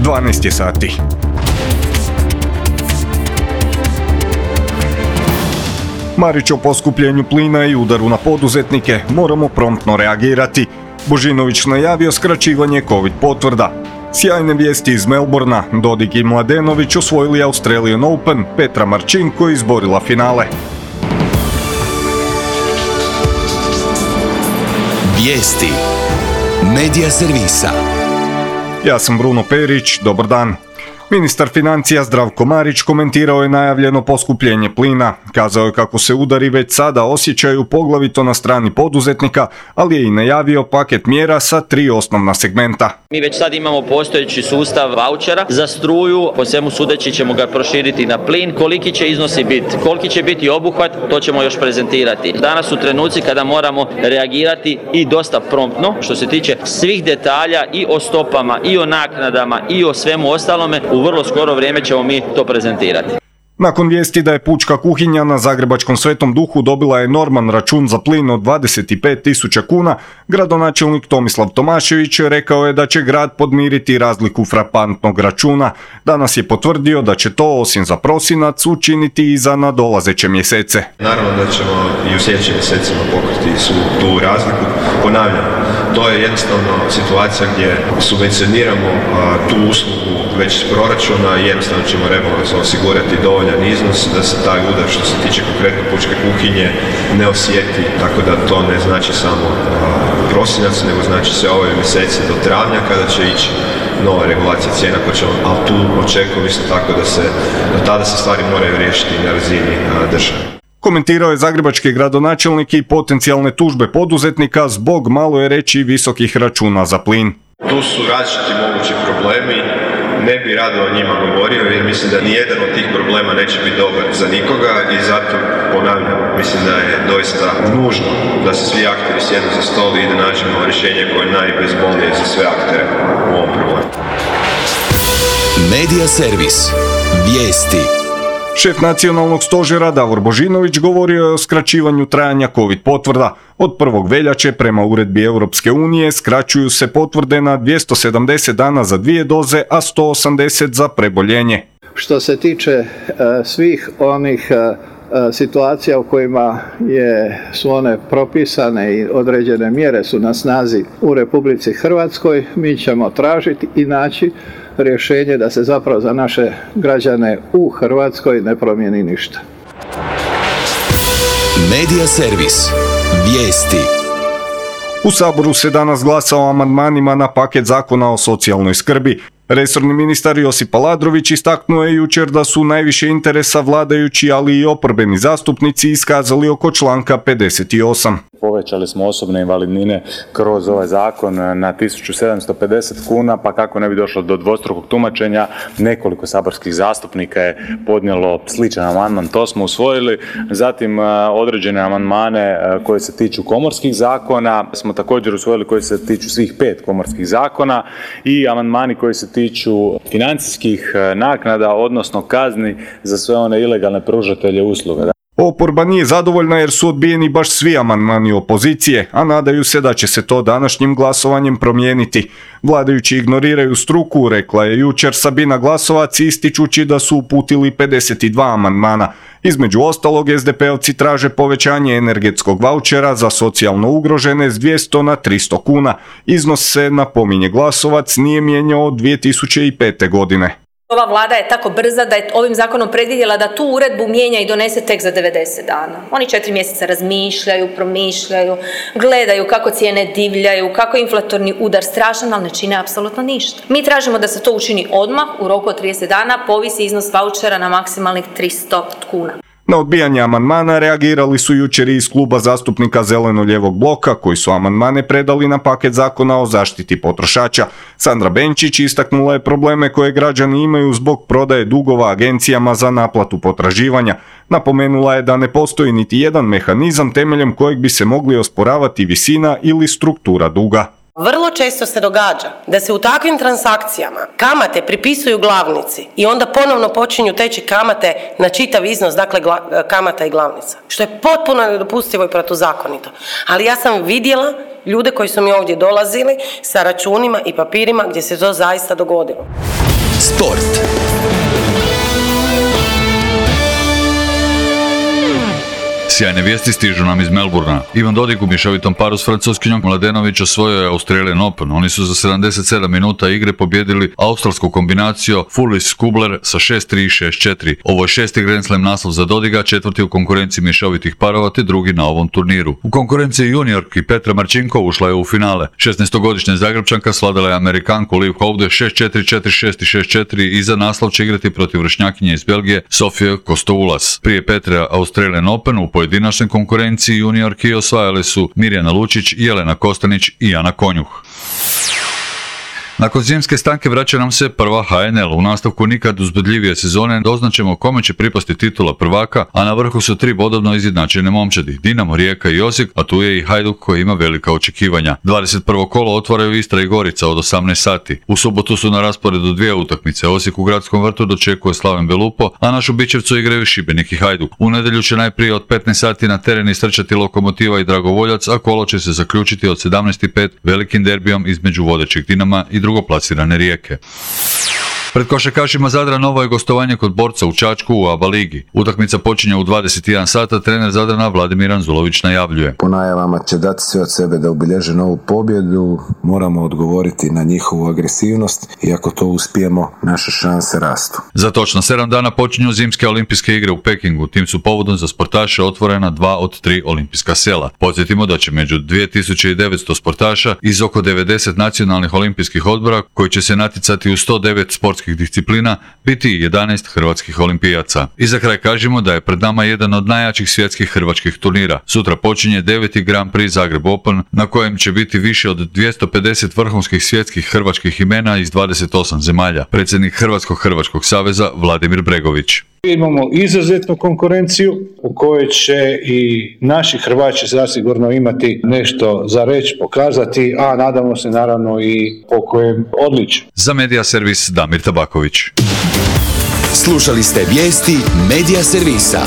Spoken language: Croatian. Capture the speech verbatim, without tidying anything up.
dvanaest je sati. Marić o poskupljenju plina i udaru na poduzetnike, moramo promptno reagirati. Božinović najavio skraćivanje covid potvrda. Sjajne vijesti iz Melbourna, Dodig i Mladenović osvojili Australian Open, Petra Marčinko izborila finale. Vijesti Medija servisa. Ja sam Bruno Perić, dobar dan. Ministar financija Zdravko Marić komentirao je najavljeno poskupljenje plina. Kazao je kako se udari već sada osjećaju poglavito na strani poduzetnika, ali je i najavio paket mjera sa tri osnovna segmenta. Mi već sad imamo postojeći sustav vaučera za struju, po svemu sudeći ćemo ga proširiti na plin. Koliki će iznosi biti, koliki će biti obuhvat, to ćemo još prezentirati. Danas su trenuci kada moramo reagirati i dosta promptno, što se tiče svih detalja i o stopama, i o naknadama, i o svemu ostalome. U vrlo skoro vrijeme ćemo mi to prezentirati. Nakon vijesti da je pučka kuhinja na zagrebačkom Svetom Duhu dobila enorman račun za plin od dvadeset pet tisuća kuna, gradonačelnik Tomislav Tomašević rekao je da će grad podmiriti razliku frapantnog računa. Danas je potvrdio da će to osim za prosinac učiniti i za nadolazeće mjesece. Naravno da ćemo i u sljedećim mjesecima pokriti svu tu razliku. Ponavljam, to je jednostavno situacija gdje subvencioniramo a, tu uslugu već iz proračuna i jednostavno ćemo rebalansom osigurati dovoljan iznos da se taj udar što se tiče konkretno pučke kuhinje ne osjeti, tako da to ne znači samo a, prosinac, nego znači sve ove mjeseci do travnja kada će ići nova regulacija cijena, pa ćemo, ali tu očekujem isto tako da se, do tada se stvari moraju riješiti na razini a, države. Komentirao je zagrebački gradonačelnik i potencijalne tužbe poduzetnika zbog, malo je reći, visokih računa za plin. Tu su različiti mogući problemi, ne bi rado o njima govorio jer mislim da nijedan od tih problema neće biti dobar za nikoga i zato ponavljam, mislim da je doista nužno da se svi akteri sjednu za stol i da nađemo rješenje koje je najbezbolnije za sve aktere u ovom problemu. Medija servis. Vijesti. Šef nacionalnog stožera Davor Božinović govorio je o skraćivanju trajanja covid potvrda. Od prvog veljače prema uredbi Europske unije skraćuju se potvrde na dvjesto sedamdeset dana za dvije doze, a sto osamdeset za preboljenje. Što se tiče uh, svih onih uh, situacija u kojima je, su one propisane i određene mjere su na snazi u Republici Hrvatskoj, mi ćemo tražiti i naći rješenje da se zapravo za naše građane u Hrvatskoj ne promijeni ništa. Medija servis. Vijesti. U Saboru se danas glasa o amandmanima na paket zakona o socijalnoj skrbi. Resorni ministar Josip Aladrović istaknuo je jučer da su najviše interesa vladajući, ali i oporbeni zastupnici iskazali oko članka pedeset osam. Povećali smo osobne invalidnine kroz ovaj zakon na tisuću sedamsto pedeset kuna, pa kako ne bi došlo do dvostrukog tumačenja, nekoliko saborskih zastupnika je podnijelo sličan amandman, to smo usvojili. Zatim određene amandmane koje se tiču komorskih zakona smo također usvojili, koji se tiču svih pet komorskih zakona, i amandmani koji se tiču financijskih naknada, odnosno kazni za sve one ilegalne pružatelje usluga. Oporba nije zadovoljna jer su odbijeni baš svi amandmani opozicije, a nadaju se da će se to današnjim glasovanjem promijeniti. Vladajući ignoriraju struku, rekla je jučer Sabina Glasovac, ističući da su uputili pedeset dva amandmana. Između ostalog, es de pe ovci traže povećanje energetskog vaučera za socijalno ugrožene s dvjesto na tristo kuna. Iznos se, napominje Glasovac, nije mijenjao od dvije tisuće pete. godine. Ova vlada je tako brza da je ovim zakonom predvidjela da tu uredbu mijenja i donese tek za devedeset dana. Oni četiri mjeseca razmišljaju, promišljaju, gledaju kako cijene divljaju, kako je inflatorni udar strašan, ali ne čine apsolutno ništa. Mi tražimo da se to učini odmah, u roku od trideset dana, povisi iznos vaučera na maksimalnih tristo kuna. Na odbijanje amandmana reagirali su jučer iz kluba zastupnika Zeleno-lijevog bloka, koji su amandmane predali na paket zakona o zaštiti potrošača. Sandra Benčić istaknula je probleme koje građani imaju zbog prodaje dugova agencijama za naplatu potraživanja. Napomenula je da ne postoji niti jedan mehanizam temeljem kojeg bi se mogli osporavati visina ili struktura duga. Vrlo često se događa da se u takvim transakcijama kamate pripisuju glavnici i onda ponovno počinju teći kamate na čitav iznos, dakle kamata i glavnica, što je potpuno nedopustivo i protuzakonito. Ali ja sam vidjela ljude koji su mi ovdje dolazili sa računima i papirima gdje se to zaista dogodilo. Sport. Sjajne vijesti stižu nam iz Melbourna. Ivan Dodig u mješovitom paru s francuskinjom Mladenović osvojio je Australian Open. Oni su za sedamdeset sedam minuta igre pobjedili australsku kombinaciju Fullis-Kubler sa šest tri i šest četiri. Ovo je šesti Grand Slam naslov za Dodiga, četvrti u konkurenciji mješovitih parova te drugi na ovom turniru. U konkurenciji juniorki Petra Marčinko ušla je u finale. šesnaestogodišnja Zagrebčanka svladala je Amerikanku Liv Houde šest četiri, četiri šest i šest četiri i za naslov će igrati protiv vršnjakinje iz Belgije Sofije Kostoulas. Prije Petra Australian Open u pojedinačnoj konkurenciji juniorki osvajale su Mirjana Lučić, Jelena Kostanić i Ana Konjuh. Nakon zimske stanke vraća nam se prva H N L. U nastavku nikad uzbudljivije sezone doznaćemo kome će pripasti titula prvaka, a na vrhu su tri bodovno izjednačene momčadi, Dinamo, Rijeka i Osijek, a tu je i Hajduk koji ima velika očekivanja. dvadeset prvo kolo otvaraju Istra i Gorica od osamnaest sati. U subotu su na rasporedu dvije utakmice. Osijek u Gradskom vrtu dočekuje Slaven Belupo, a našu Bičevcu igraju Šibenik i Hajduk. U nedjelju će najprije od petnaest sati na teren istrčati Lokomotiva i Dragovoljac, a kolo će se zaključiti od sedamnaest i pet velikim derbijom između vodećeg Dinama i drugoplasirane Rijeke. Pred košarkašima Zadra novo je gostovanje kod Borca u Čačku u A B A ligi. Utakmica počinje u dvadeset jedan sata, trener Zadrana Vladimir Anzulović najavljuje. Po najavama će dati sve od sebe da obilježe novu pobjedu, moramo odgovoriti na njihovu agresivnost i ako to uspijemo, naše šanse rastu. Za točno sedam dana počinju zimske olimpijske igre u Pekingu, tim su povodom za sportaše otvorena dva od tri olimpijska sela. Podsjetimo da će među dvije tisuće devetsto sportaša iz oko devedeset nacionalnih olimpijskih odbora koji će se natjecati u sto devet sportskih disciplina biti jedanaest hrvatskih olimpijaca. I za kraj kažemo da je pred nama jedan od najjačih svjetskih hrvačkih turnira. Sutra počinje deveti Grand Prix Zagreb Open na kojem će biti više od dvjesto pedeset vrhunskih svjetskih hrvačkih imena iz dvadeset osam zemalja. Predsjednik Hrvatskog Hrvačkog saveza Vladimir Bregović. Imamo izuzetnu konkurenciju u kojoj će i naši Hrvaći zasigurno imati nešto za reći, pokazati, a nadamo se naravno i po kojem odličju. Za Medija Servis Damir Tabaković. Slušali ste vijesti Medija Servisa.